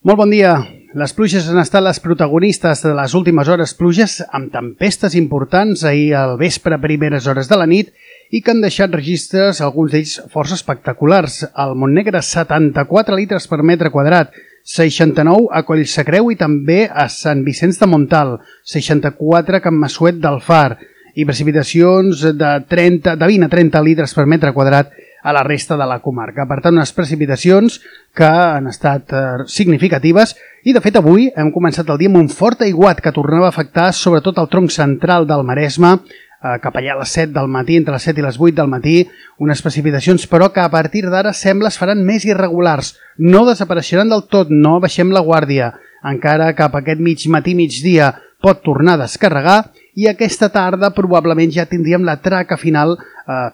Molt bon dia. Les pluges han estat les protagonistes de les últimes hores, pluges amb tempestes importants ahir al vespre a primeres hores de la nit i que han deixat registres, alguns d'ells força espectaculars. Al Montnegre, 74 litres per metre quadrat, 69 a Collsacreu i també a Sant Vicenç de Montalt, 64 a Can Massuet del Far i precipitacions de 20 a 30 litres per metre quadrat a la resta de la comarca. Per tant, unes precipitacions que han estat significatives i, de fet, avui hem començat el dia amb un fort aiguat que tornava a afectar sobretot el tronc central del Maresme, cap allà a les 7 del matí, entre les 7 i les 8 del matí, unes precipitacions però que a partir d'ara sembla es faran més irregulars. No desapareixeran del tot, no baixem la guàrdia. Encara cap a aquest migdia pot tornar a descarregar i aquesta tarda probablement ja tindríem la traca final,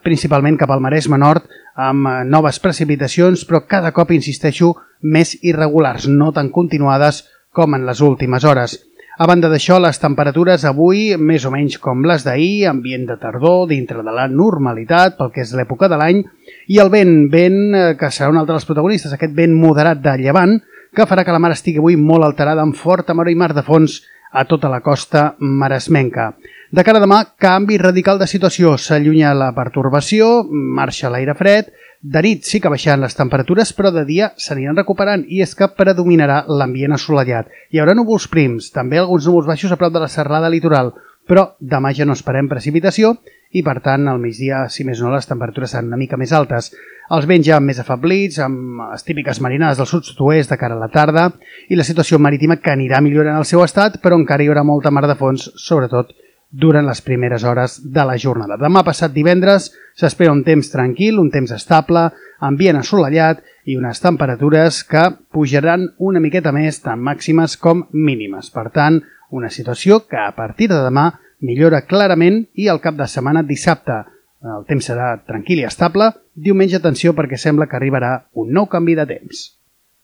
principalment cap al Maresme Nord, amb noves precipitacions, però cada cop, insisteixo, més irregulars, no tan continuades com en les últimes hores. A banda d'això, les temperatures avui, més o menys com les d'ahir, ambient de tardor, dintre de la normalitat, pel que és l'època de l'any, i el vent que serà un altre dels protagonistes, aquest vent moderat de llevant, que farà que la mar estigui avui molt alterada amb forta mar i mar de fons a tota la costa maresmenca. De cara a demà, canvi radical de situació. S'allunya la pertorbació, marxa l'aire fred, de nit sí que baixaran les temperatures, però de dia s'aniran recuperant i és que predominarà l'ambient assolellat. Hi haurà núvols prims, també alguns núvols baixos a prop de la serrada litoral, però demà ja no esperem precipitació i, per tant, al migdia, si més no, les temperatures seran una mica més altes. Els vents ja més afablits, amb les típiques marinades del sud-oest de cara a la tarda i la situació marítima que anirà millorant el seu estat, però encara hi haurà molta mar de fons, sobretot durant les primeres hores de la jornada. Demà passat divendres s'espera un temps tranquil, un temps estable, ambient assolellat i unes temperatures que pujaran una miqueta més, tant màximes com mínimes. Per tant, una situació que a partir de demà millora clarament i al cap de setmana, dissabte, el temps serà tranquil i estable. Diumenge, atenció, perquè sembla que arribarà un nou canvi de temps.